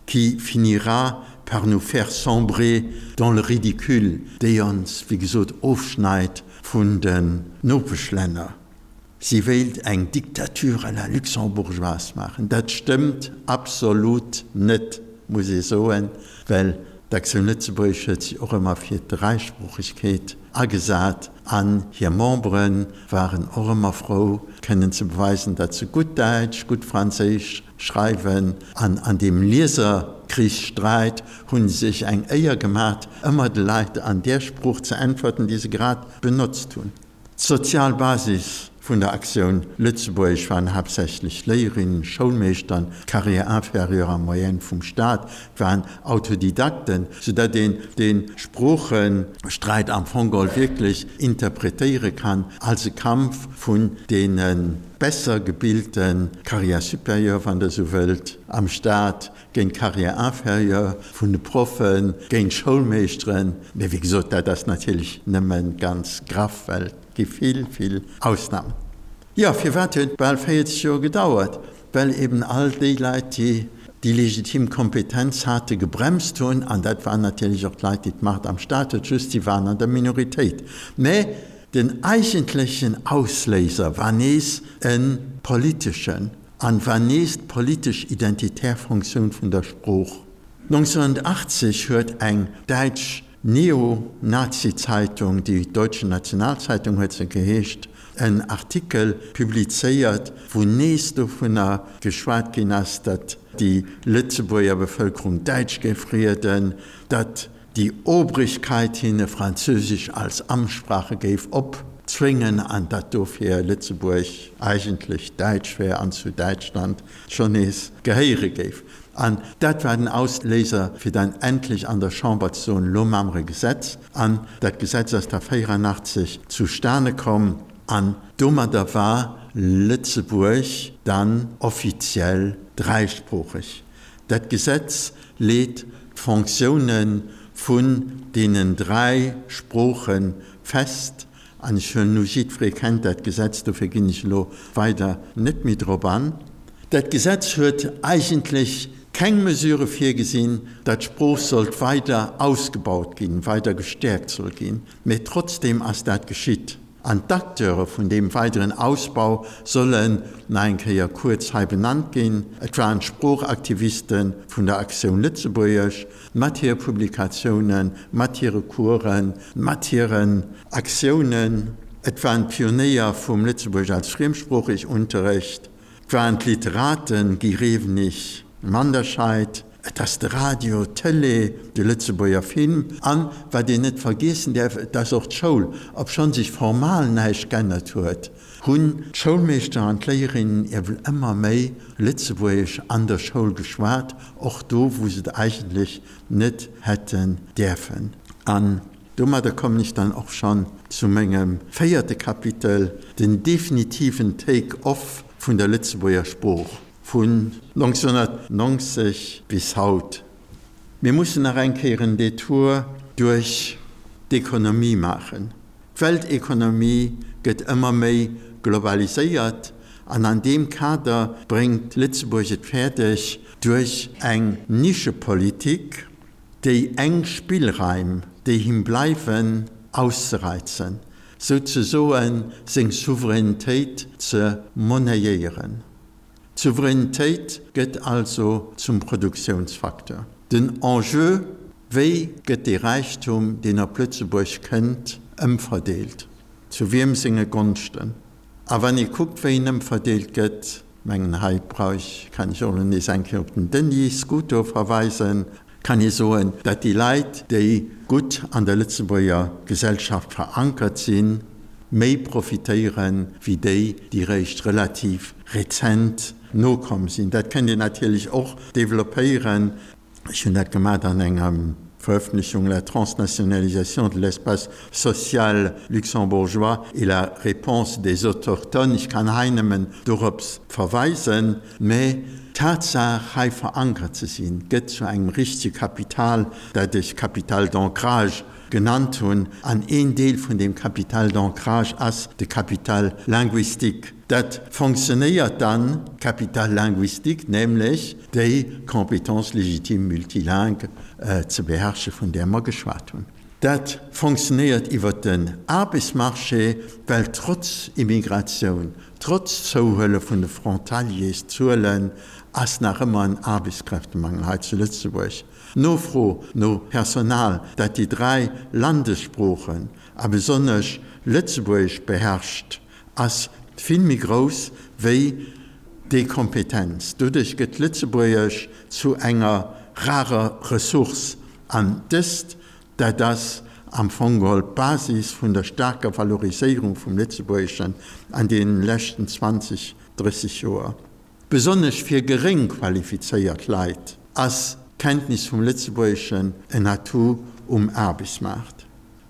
qui finira par nous faire sombrer dans le ridicule, déi ons, wéi gesot, ofschneit vun den Nopeschlänner. Si wéilt eng Dictature à la luxembourgeoise maachen. Dat stëmmt absolut net, muss ee soen, well d'Actioun Lëtzebuerg huet sech och ëmmer fir d'Dräisproochegkeet agesat an hir Membere waren och ëmmer frou, kënnen ze beweisen, datt se gutt Däitsch, gutt Franséisch schreiwen an an deem Lieserkrichssträit hu se sech eng Éier gemat, ëmmer de Leit an där Sprooch ze äntwerten, déi se grad benotzt hunn. D'sozial Basis vun der Actioun Lëtzebuergesch waren haaptsächlech Léierinnen, Schoulmeeschtern, Carrière inférieure a moyenne vum Staat, et waren Autodidakten, soudatt een dee Sproochesträit am Fong geholl wierklech interpretéiere kann als e Kampf vun deene besser gebilte Carrière supérieure, wann Der esou wëllt, am Staat géint d'Carrière inférieure vun de Proffen, géint d'Schoulmeeschteren. Mee wéi gesot, dat ass natierlech nëmme ganz graff, well et gi vill, vill Ausnamen. Jo, firwat huet et bal 40 Joer gedauert? Well eben all déi Leit, déi déi legitim Kompetenz hate, gebremst hunn. An dat waren natierlech och d'Leit, déi d'Macht am Staat huet, just si waren an der Minoritéit. Mä Den eigentlechen Ausléiser war nees e politeschen an war nees d'politesch identitär Fonctioun vun der Sprooch. 1980 huet eng däitsch Neo-Nazi-Zeitung, die Deutsche Nationalzeitung huet se geheescht, en Artikel publizéiert, wou nees dovunner geschwat ginn ass, datt déi Lëtzebuerger Bevëlkerung Däitsch géif rieden, datt déi Obrigkeit hinne Französisch als Amtssprache géif opzwéngen an datt dofir Lëtzebuerg eigentlech däitsch wär an zu Däitschland schonn nees gehéiere géif. An dat war den Ausléiser, fir dann endlech an der Chamber ze soen, Elo maache mer e Gesetz. An dat Gesetz ass da 84 zustane komm an domadder war Lëtzebuerg dann offiziell dräisproocheg. Dat Gesetz leet d'Fonctioune vun deenen 3 Sprooche fest. An ech huelen u, jiddweree kennt dat Gesetz, dofir ginn ech elo weider net méi drop an. Dat Gesetz huet eigentlech keng Mesure virgesinn, datt d'Sprooch sollt weider ausgebaut ginn, weider gestäerkt soll ginn, mä trotzdeem ass dat geschitt. An d'Acteure vun deem weideren Ausbau sollen nach eng Kéier kuerz hei benannt ginn. Et waren d'Sproochaktiviste vun der Actioun Lëtzebuergesch mat hire Publikatiounen, mat hire Coursen, mat hiren Aktiounen. Et waren d'Pionéier vum Lëtzebuergesch als Friemsproochig-Unterrecht. Et waren d'Literaten Guy Rewenig, Manderscheid, et ass de Radio, d'Tëlee, de Lëtzebuerger Film an, wat een net vergiessen däerf, et ass och d'Schoul. Obschonn sech formal näischt g'ännert huet, hunn d'Schoulmeeschter an d'Léierinnen ewell ëmmer méi Lëtzebuergesch an der Schoul geschwat, och do, wou se et eigentlech net hätten däerfen. An domadder kommen ech dann och schonn zu mengem véierte Kapitel, den definitiven Take-off vun der Lëtzebuerger Sprooch. Vun 1990 bis haut. Mir mussen nach eng Kéier en Detour duerch d'Ekonomie maachen. D'Weltekonomie gëtt ëmmer méi globaliséiert an an deem Kader bréngt Lëtzebuerg et fäerdeg, duerch eng Nischepolitik déi enk Spillraim, déi him bleiwen, auszereizen, souzesoen seng Souveränitéit ze monnayéieren. D'Souveränitéit gëtt also zum Produktiounsfacteur. Den Enjeu, Wéi gëtt dee Räichtum, deen op Lëtzebuerg kënnt, ëmverdeelt? Zu wiem senge Gonschten? A wann ee kuckt, wéi en ëmverdeelt gëtt, Mengen hei brauch ech, kann ech och elo nees eng Kéier op den Denis Scuto verweisen, kann ee soen, datt déi Leit, déi gutt an der Lëtzebuerger Gesellschaft verankert sinn, méi profitéiere wéi déi, déi réischt relativ rezent nokomm sinn. Dat kënnt een natierlech och developpéieren. Ech hunn dat gemat an enger Verëffentlechung La transnationalisation de l'espace social luxembourgeois et la réponse des autochtones. Ech kann hei nëmmen dorops verweisen. Mä d'Tatsaach, hei verankert ze sinn, gëtt zu engem richtege Kapital, dat ech Capital d'ancrage genannt hunn. An een Deel vun deem Capital d'ancrage ass de Capital linguistique. Dat fonctionnéiert dann, Capital linguistique, nämlech déi Compétence légitime multilingue ze beherrsche vun där mer geschwat hunn. Dat fonctionnéiert iwwert den Aarbechtsmarché, well trotz Immigratioun, trotz Zouhuele vun de Frontaliers-Zuelen ass nach ëmmer en Aarbechtskräftemangel hei zu Lëtzebuerg. D'Nofro no Personal, dat déi 3 Landessproochen a besonnesch Lëtzebuergesch beherrscht, ass vill méi grouss wéi déi Kompetenz. Doduerch gëtt Lëtzebuergesch zu enger rarer Ressource an dëst, dat ass am Fong geholl d'Basis vun der staarker Valoriséierung vum Lëtzebuergeschen an deenen leschten 20, 30 Joer. Besonnesch fir geréng qualifizéiert Leit ass d'Kenntnis vum Lëtzebuergeschen en Atout um Aarbechtsmaart.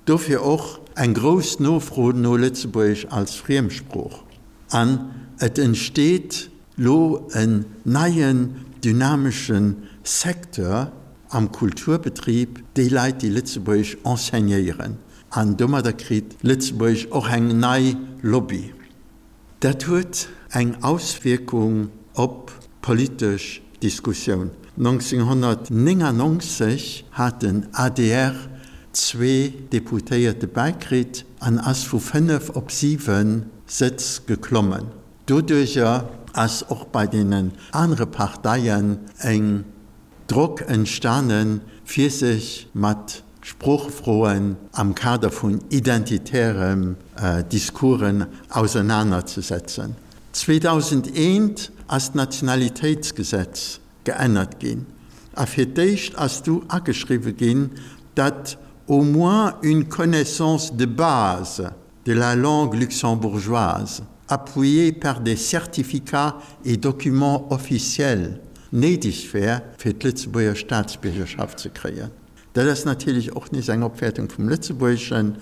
Dofir och eng grouss Nofro no Lëtzebuergesch als Friemsprooch. An et entsteet lo en neien dynamesche Secteur am Kulturbetrib, déi Leit, déi Lëtzebuergesch enseignéieren. An domadder kritt Lëtzebuergesch och eng nei Lobby. Dat huet eng Auswierkung op d'politesch Diskussioun. 1999 hat den adr zwee Deputéierte bäikritt an ass vu 5 op 7 Sëtz geklommen. Doduercher ass och bei deenen anere Parteien eng Drock entstanen, fir sech mat Sproochefroen am Kader vun identitären Discoursen ausernanerzesetzen. 2001 ass d'Nationalitéitsgesetz geännert ginn a fir d'éischt ass du ageschriwwe ginn, datt au moins une connaissance de base de la langue luxembourgeoise, appuyée par des certificats et documents officiels, néideg wär, fir d'Lëtzebuerger Staatsbiergerschaft ze kréien. Dat ass natierlech och nees eng Opwäertung vum Lëtzebuergeschen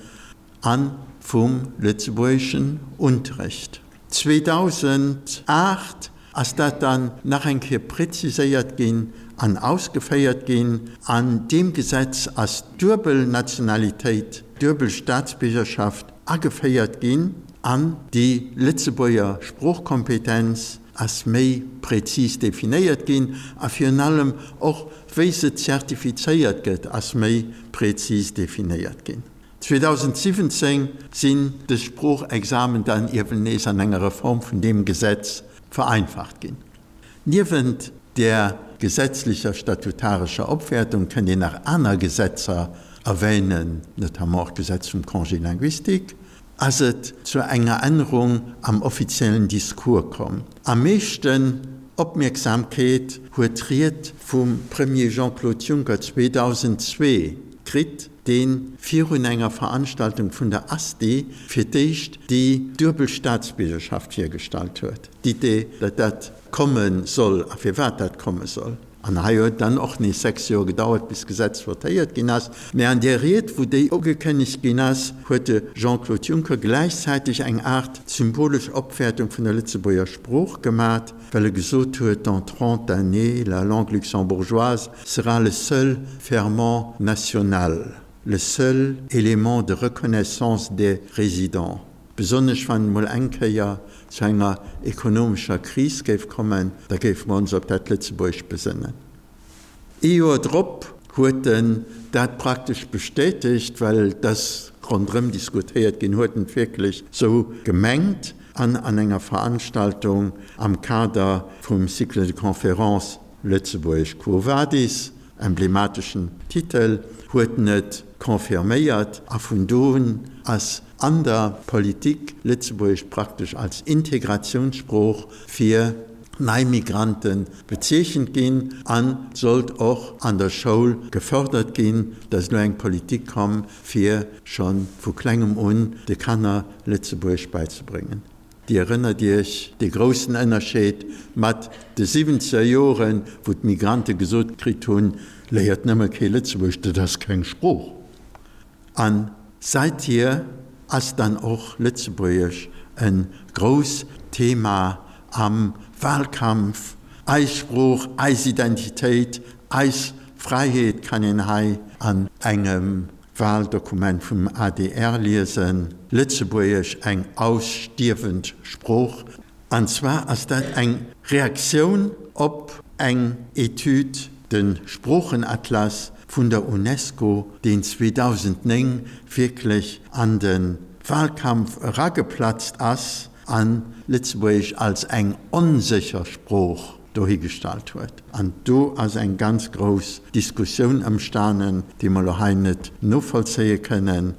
a vum lëtzebuergeschen Unterrecht. 2008 ass dat dann nach eng Kéier präziséiert ginn an ausgeféiert ginn. An deem Gesetz ass d'duebel Nationalitéit, d'duebel Staatsbiergerschaft ageféiert ginn an déi Lëtzebuerger Sproochkompetenz ass méi präzis definéiert ginn a virun allem och wéi se zertifizéiert gëtt ass méi präzis definéiert ginn. 2017 sinn dës Sproochexamen dann iewen nees an enger Reform vun deem Gesetz vereinfacht ginn. Niewent där gesetzlecher statutarescher Opwäertung kënnt een nach aner Gesetzer erwänen, notamment och d'Gesetz vum Congé linguistique, ass et zu enger Ännerung am offiziellen Discours komm. Am meeschten Opmierksamkeet huet d'Ried vum Premier Jean-Claude Juncker 2002 kritt, dee virun enger Veranstaltung vun der ASTI fir d'éischt déi duebel Staatsbiergerschaft virgestallt huet, d'Idee, datt dat komme soll a firwat dat komme soll. An hei huet dann och nees 6 Joer gedauert, bis d'Gesetz votéiert ginn ass. Mä an där Ried, wou déi ugekënnegt ginn ass, huet de Jean-Claude Juncker gläichzäiteg eng Aart symbolesch Opwäertung vun der Lëtzebuerger Sprooch gemat, well e gesot huet, Dans trente années, la langue luxembourgeoise sera le seul ferment national, le seul élément de reconnaissance des résidents. Besonnesch wann et mol eng Kéier zu enger ekonomescher Kris géif kommen, da géife mer ons op dat Lëtzebuergescht besënnen. Ee Joer drop huet en dat praktesch bestätegt, well et ass ronderëm diskutéiert ginn, huet en et wierklech sou gemengt an an enger Veranstaltung am Kader vum Cycle de conférences Lëtzebuergesch Quo Vadis, emblemateschen Titel, huet en et confirméiert a vun do un ass an der Politik Lëtzebuergesch praktesch als Integratiounssprooch fir. nei Migrante bezeechent ginn an sollt och an der Schoul gefördert ginn, dass elo eng Politik komm fir scho vu klengem un de Kanner Lëtzebuergesch beizebréngen. Dir erënnert Iech dee groussen Ënnerscheed mat de siwwenzeger Joren, wou d'Migrante gesot kritt hunn, Léiert nëmme kee Lëtzebuergesch, dat ass keng Sprooch. A seithier ass dann och Lëtzebuergesch e grousst Thema am Wahlkampf. Eis Sprooch, eis Identitéit, eis Fräiheet kann een hei an engem Wahldokument vum adr liesen. Lëtzebuergesch, eng ausstierwend Sprooch. An zwar ass dat eng Reaktioun op eng Etüd, de Sproochenatlas vun der Unesco, deen 2009 wierklech an de Wahlkampf erageplatzt ass a Lëtzebuergesch als eng onsécher Sprooch dohigestallt huet. An do ass eng ganz grouss Diskussioun ëmstanen, déi mer elo hei net novollzéie kënnen,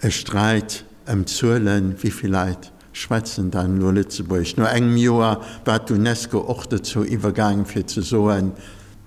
e Sträit ëm d'Zuelen, wéi vill Leit schwätzen dann elo Lëtzebuergesch. No engem Joer war d'UNESCO och dozou iwwergaangen, fir ze soen,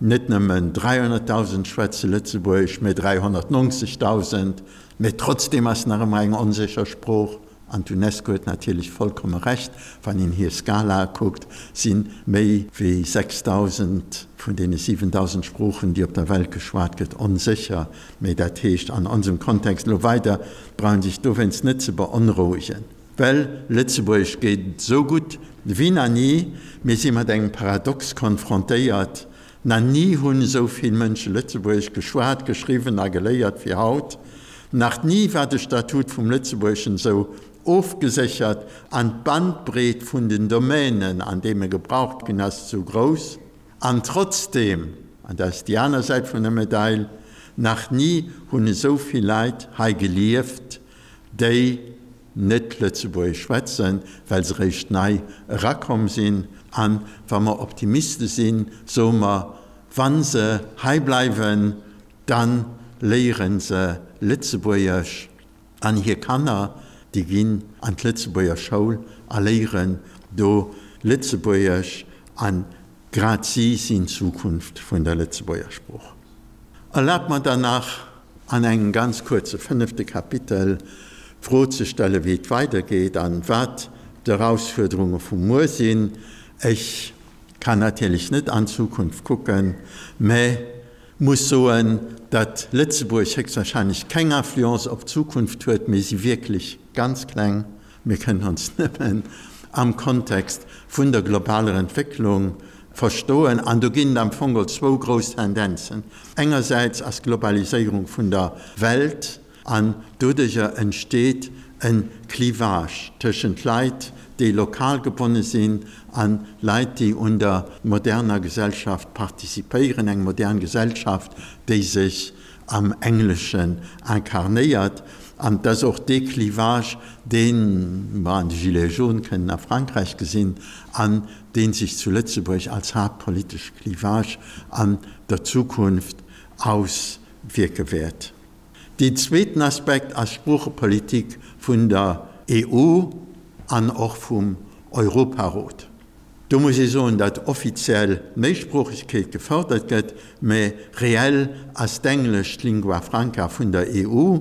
net nëmmen 300.000 schwätze Lëtzebuergesch, mä 390.000. Mä trotzdeem ass nach ëmmer eng onsécher Sprooch. An d'UNESCO huet natierlech vollkomme Recht, wann een hir Skalae kuckt, si méi wéi 6.000 vun deene 7.000 Sproochen, déi op der Welt geschwat gëtt, onsécher. Mä dat heescht an onsem Kontext elo weider, brauch een sech dowéinst net ze beonrouegen. Well Lëtzebuergesch geet esou gutt wéi na ni. Mir si mat engem Paradox konfrontéiert, Na ni hunn esou vill Mënsche Lëtzebuergesch geschwat, geschriwwen a geléiert wéi haut. Nach ni war de Statut vum Lëtzebuergeschen esou ofgeséchert an d'Bandbreet vun den Domänen, an deem e gebraucht ginn ass, esou grouss. An trotzdeem, an dat ass déi aner Säit vun der Medail, nach ni hunn esou vill Leit hei gelieft, déi net Lëtzebuergesch schwätzen, well se réischt nei erakomm sinn. A wa mer Optimiste sinn, soe mer, Wa se hei bleiwen, da léiere se Lëtzebuergesch an hir Kanner, déi ginn an d'Lëtzebuerger Schoul a léieren do Lëtzebuergesch. A grad si sinn d'Zukunft vun der Lëtzebuerger Sprooch. Erlaabt mer dann nach, an engem ganz kuerze fënnefte Kapitel d'Fro ze stellen, wéi et weidergeet an wat d'Erausfuerderunge vu muer sinn. Ech kann natierlech net an d'Zukunft kucken, mä muss soen, datt Lëtzebuerg héchstwahrscheinlech keng Influence op d'Zukunft huet. Mir si wierklech ganz kleng. Mir kënnen ons nëmmen am Kontext vun der globaler Entwécklung verstoen. An do ginn et am Fong geholl zwou grouss Tendenzen. Engersäits ass d'Globaliséierung vun der Welt an doduercher entsteet e Clivage tëschent Leit, déi lokal gebonne sinn a Leit, déi un der moderner Gesellschaft participéieren, eng modern Gesellschaft, déi sech am Engleschen incarnéiert. An et ass och dee Clivage, dee mer an de Gilets jaunes kënnen a Frankräich gesinn an dee sech zu Lëtzebuerg als haaptpolitesche Clivage an der Zukunft auswierke wäert. Deen zweeten Aspekt ass d'Sproochepolitik vun der EU an och vum Europarot. Do muss ee soen, datt offiziell d'Méisproochegkeet gefërdert gëtt, mä reell ass d'Englesch d'Lingua franca vun der EU.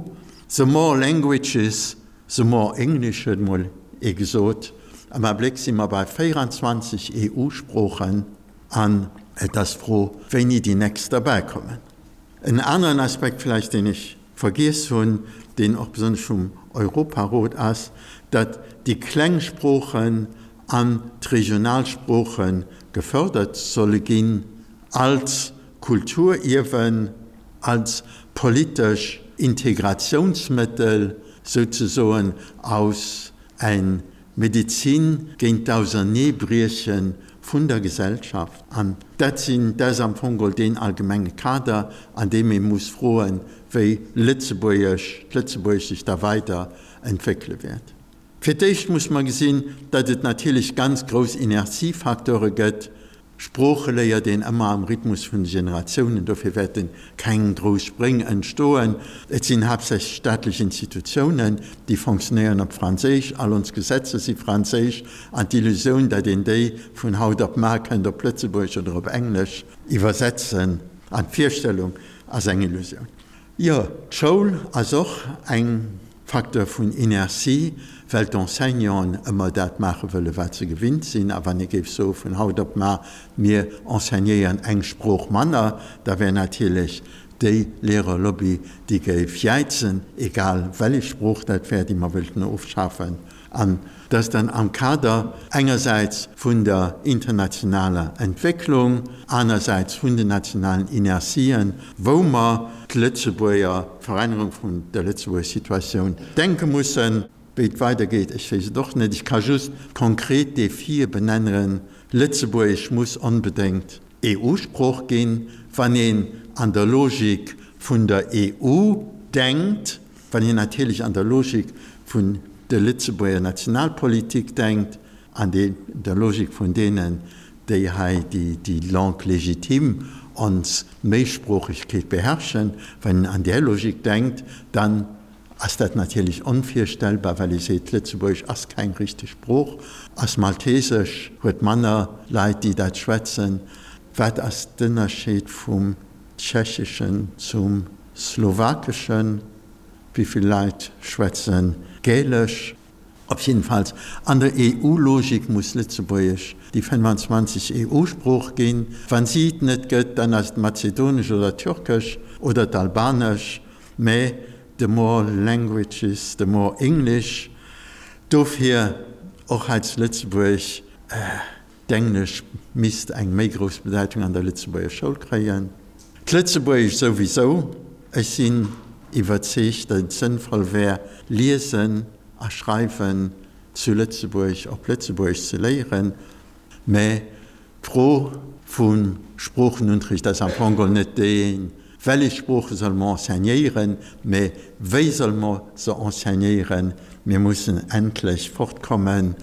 The more languages, the more English, huet emol ee gesot. Am Abléck si mer bei 24 EU-Sproochen an et ass d'Fro, wéini déi nächst derbäikommen. En aneren Aspekt vläicht, deen ech vergiess hunn, deen och besonnesch vum Europarot ass, datt déi kleng Sproochen an d'regional Sprooche gefördert solle ginn als Kulturierwen, als politesch Integratiounsmëttel souzesoen, aus eng Medezin géint d'Auserneebrieche vun der Gesellschaft. An dat sinn, dat ass am Fong geholl deen allgemenge Kader, an deem ee muss froen, wéi Lëtzebuergesch, d'Lëtzebuergesch sech da weider entwéckele wäert. Fir d'éischt muss mer gesinn, datt et natierlech ganz grouss Inertiefacteure gëtt. Sprooche léiert een ëmmer am Rhythmus vun de Generatiounen, dofir wäerte keng grouss Spréng entstoen. Et sinn haaptsächlech staatlech Institutiounen, déi fonctionnéieren op Franséisch, all ons Gesetzer si franséisch, an d'Illusioun, datt een déi vun haut op mar kënnt op Lëtzebuergesch oder op Englesch iwwersetzen, an d'Virstellung ass eng Illusioun. Jo, d'Schoul ass och eng Facteur vun Inertie, well d'Enseignanten ëmmer dat maache wëlle wat se gewinnt sinn. A wann ee géif soe vun haut op mar, mir enseignéieren eng Sprooch manner, da wär natierlech déi Lehrerlobby, déi géif jäizen, egal wellech Sprooch dat wär, déi mer wëllten ofschafen. An dass dann am Kader engersäits vun der internationaler Entwécklung, anersäits vun den nationalen Inertien, wou mer d'Lëtzebuerger, d'Verännerung vun der Lëtzebuerger Situatioun denke mussen. Wéi et weidergeet, ech weess et och net. Ech ka just konkret Defie benennen, Lëtzebuergesch muss onbedéngt EU-Sprooch ginn, wann een an der Logik vun der EU denkt. Wann een natierlech an der Logik vun der Lëtzebuerger Nationalpolitik denkt, an der Logik vun deenen, déi hei déi Langue légitime, ons Méisproochegkeet beherrschen, wann een an där Logik denkt, dann ass dat natierlech onvirstellbar, well ee seet, Lëtzebuergesch ass keng richteg Sprooch, ass Maltesesch, huet manner Leit, déi dat schwätzen. Wat ass d'Ënnerscheed vum Tschecheschen zum Slowakeschen? Wéi vill Leit schwätze Gälesch? Op jiddefalls, an der EU-Logik muss Lëtzebuergesch déi 25. EU-Sprooch ginn. Wa si et net gëtt, dann ass et Mazedonesch oder Türkesch oder d'Albanesch. Mä the more languages, the more English. Dofir och hei zu Lëtzebuerg, D'Englesch misst eng méi grouss Bedeitung an der Lëtzebuerger Schoul kréien. D'Lëtzebuergesch souwisou. Ech sinn iwwerzeegt, datt et sënnvoll wär, Liesen a Schreiwen zu Lëtzebuerg op Lëtzebuergesch ze léieren. Mä d'Fro vum Sproochenunterricht ass am Fong geholl net déi, Wellech Sprooche solle mer enseignéieren, mä wéi solle mer se enseignéieren? Mir mussen endlech fortkomme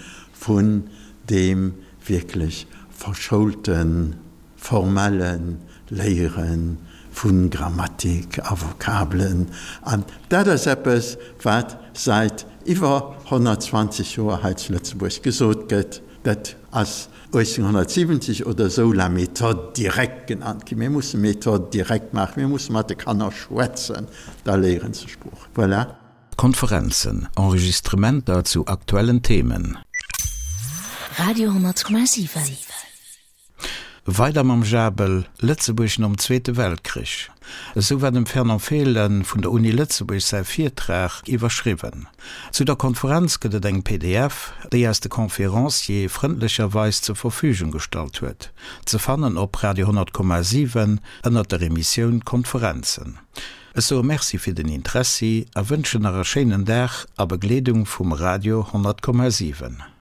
vun deem wierklech verschoulten, formelle Léiere vu Grammatik a Vokabelen. An dat ass eppes, wat säit iwwer 120 Joer hei zu Lëtzebuerg gesot gëtt. Dat ass 1870 oder esou la méthode directe genannt ginn. Mir musse Méthode directe maachen, mir musse mat de Kanner schwätzen, da léiere se Sprooch. Voilà. Konferenzen, Enregistrementer zu aktuellen Themen. Radio 10,7. Weider mam Jabel, Lëtzebuerg nom Zweete Weltkrich. Esou war dem Fernand Fehlen vun der Uni Lëtzebuerg säi Virtrag iwwerschriwwen. Zu der Konferenz gëtt et eng pdf, déi eis de Conférencier frëndlecherweis zur Verfügung gestallt huet. Ze fannen op Radio 10,7 ënnert der Emissioun Konferenzen. Ech soe Merci fir den Interessi a wënschen nach e schéinen Dag a Begleedung vum Radio 10,7.